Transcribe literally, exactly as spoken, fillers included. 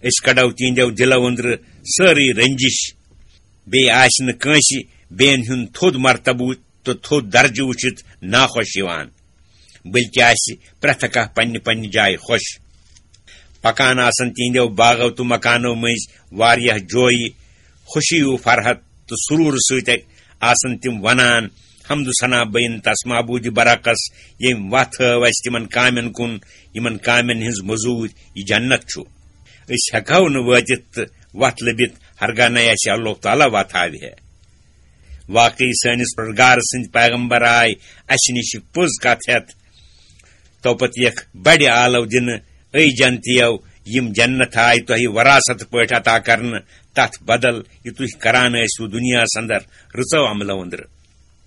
أسۍ کڑو تِہنٛدیو دِلو أنٛدرٕ سٲرٕے رنجش۔ بیٚیہِ آسہِ نہٕ کٲنٛسہِ بیٚین ہُنٛد تھوٚد مرتبہٕ تہٕ تھوٚد درجہٕ وٕچھِتھ ناخۄش یِوان، بلکہِ آسہِ پرٛٮ۪تھ کانٛہہ پننہِ پننہِ جایہِ خۄش۔ پکان آسن تِہنٛدیو باغو تہٕ مکانو مٔنٛزۍ واریاہ جویہِ، خوشی و فرحت تہٕ سرور سۭتۍ آسن تِم ونان، حمد و ثنا بین تس معبود برحقس، ییٚمۍ وتھ ہٲو اسہِ تِمن کامٮ۪ن کُن، یِمن کامٮ۪ن ہٕنٛز مٔزوٗرۍ یہِ جنت چھُ۔ أسۍ ہٮ۪کہو نہٕ وٲتِتھ تہٕ وتھ لٔبِتھ، ہرگاہ نَے اسہِ اللہ تعالیٰ وتھ ہاوِ ہے۔ واقعی سٲنِس پروردگار سٕنٛدۍ پیغمبر آے اسہِ نِش پوٚز کتھ ہٮ۪تھ۔ تو پتہٕ یکھ بڑِ آلو دِنہٕ، اے جنتیو، یِم جنت آے تۄہہِ وراثت پٲٹھۍ عطا کرنہٕ، تتھ بدل یہِ تُہۍ کران ٲسِو دُنیاہس اندر رٕژو عملو أنٛدرٕ۔